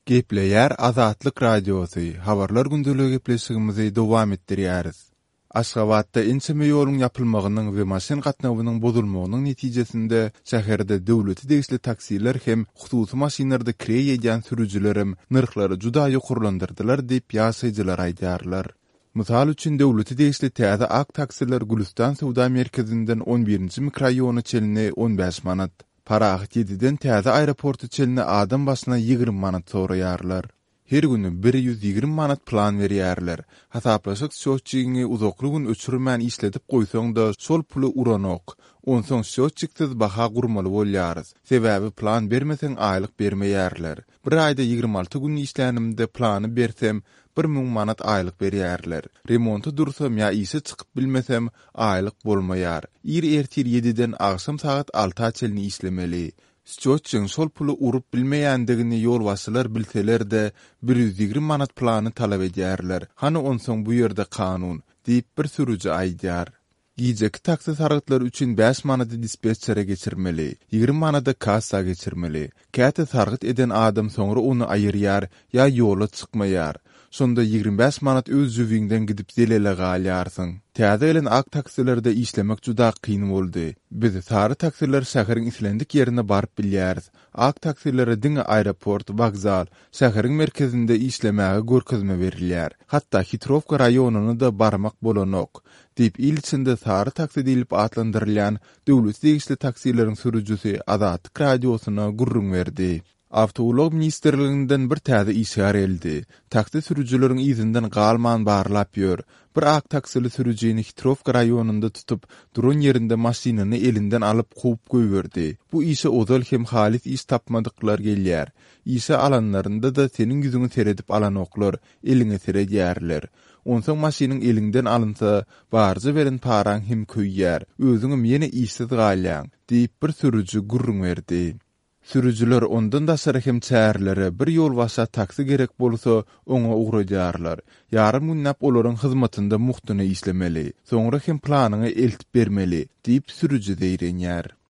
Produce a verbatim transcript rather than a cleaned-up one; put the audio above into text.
Gepleýär Azatlyk Radiosy, Habarlar gündeligi gepleşigimizi dowam etdirýäris. Aşgabatda ençeme ýoluň ýapylmagynyň we maşyn gatnawynyň bozulmagynyň netijesinde şäherde döwlete degişli taksiler hem hususy maşynlarda kireý edýän sürüjilerem nyrhlary juda ýokarlandyrdylar diýip ýaşaýjylar aýdýarlar. Mysal üçin döwlete degişli täze ak taksiler Gülüstan söwda merkezinden on birinji mikroraýona çenli on bäş manat, Parahat ýediden täze aeroporta çenli adam başyna ýigrimi manat soraýarlar. Her güni bir ýüz ýigrimi manat plan berýärler. Hasaplaşyk sýotçigiňi uzakly gün öçürmän işledip goýsaň-da şol puly uranok. Onsoň sýotçiksiz baha gurmaly bolýarys. Sebäbi plan bermeseň aýlyk bermeýärler. Bir aýda ýigrimi alty gün işlänimde plany bersem bir müň manat aýlyk berýärler. Remonta dursam ýa işe çykyp bilmesem aýlyk bolmaýar. Ir ertir ýediden agşam sagat alta çenli işlemeli. Sýotçigiň şol puly urup bilmeýändigini ýolbaşçylar bilseler-de bir ýüz ýigrimi manat plany talap edýärler. Hany onsoň bu ýerde kanun, diýip bir sürüji aýdýar. Gijeki taksi sargytlary üçin bäş manady dispetçere geçirmeli, ýigrimi manady kassa geçirmeli. Käte sargyt eden adam soňra ony aýyrýar ýa ýola çykmaýar. Şonda ýigrimi bäş manat öz jübiňden gidip zelele galýarsyň. Täze gelen ak taksilerde işlemek juda kyn boldy. Biz sary taksiler şäheriň islendik ýerine baryp bilýäris. Ak taksilere diňe aeroport, wokzal, şäheriň merkezinde işlemäge görkezme berilýär. Hatda Hitrowka raýonyna-da barmak bolanok, diýip il içinde sary taksi diýlip atlandyrylýan döwlete degişli taksileriň sürüjisi Azatlyk Radiosyna gürrüň berdi. Awtoulag ministrliginden bir täze işgär geldi. Taksi sürüjileriň yzyndan galman barlap ýör. Bir ak taksili sürüjini Hitrowka raýonynda tutup, duran ýerinde maşynyny elinden alyp kowup goýberdi. Bu işe ozal hem halys iş tapmadyklar gelýär. Işe alanlarynda-da seniň ýüzüňi seredip alanoklar, eliňe seredýärler. Onsoň maşynyň eliňden alynsa, barja beren paraň hem köýýär, özüňem ýene işsiz galýaň, diýip bir sürüji gürrüň berdi. Sürüjiler ondan daşary hem çärelere bir ýolbaşa taksi gerek bolsa, oňa ugradýarlar. Ýarym günläp olaryň hyzmatynda muhtyna işlemeli, soňra hem planyňy eltip bermeli, diýip sürüji zeýrenýär.